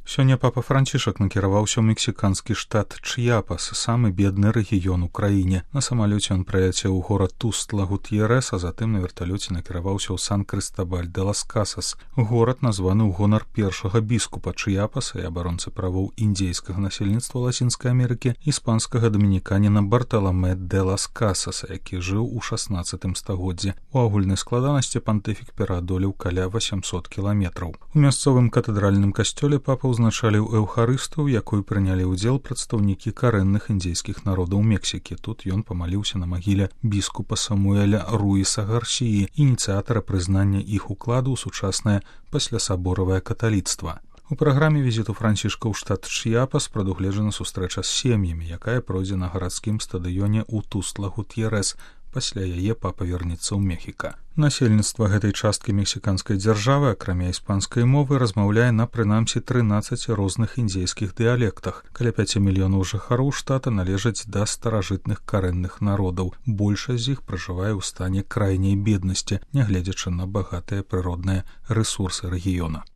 Сёння папа Францішак накіраваўся ў мексіканскі штат Чьяпас, самы бедны рэгіён у краіне. На самалёце ён праляцеў у горад Тустла-Гут'ерес, а затым на верталёце накіраваўся ў Сан-Крыстабаль-де-лас-Касас. Горад названы ў гонар першага біскупа Чьяпаса і абаронцы правоў індзейскага насельніцтва Лацінскай Амерыкі, іспанскага дамініканіна Барталаме де лас-Касаса, які жыў у 16 стагоддзі. У агульнай складанасці пантыфік пераадолеў каля 800 кіламетраў. У мясцовым катэдральным касцёле папа узначаліў эўхарыстыю, у якой прынялі ўдзел прадстаўнікі карэнных індзейскіх народаў Мексікі. Тут ён памаліўся на магіле біскупа Самуэля Руіса Гарсіі, ініцыятара прызнання іх укладу ў сучаснае паслясаборавае каталіцтва. У праграме візіту Францішка ў штат Чьяпас прадугледжана сустрэча з сем'ямі, якая пройдзе на гарадскім стадыёне ў Тустла-Гут'ерес. Пасля яе папа вернецца ў Мехіка. Насельніцтва гэтай часткі мексіканскай дзяржавы, акрамя іспанскай мовы, размаўляе на прынамсі 13 розных індзейскіх дыялектах. Каля 5 мільёнаў жыхароў штата належаць да старажытных карэнных народаў. Большасць з іх пражывае ў стане крайняй беднасці, нягледзячы на багатыя прыродныя рэсурсы рэгіёна.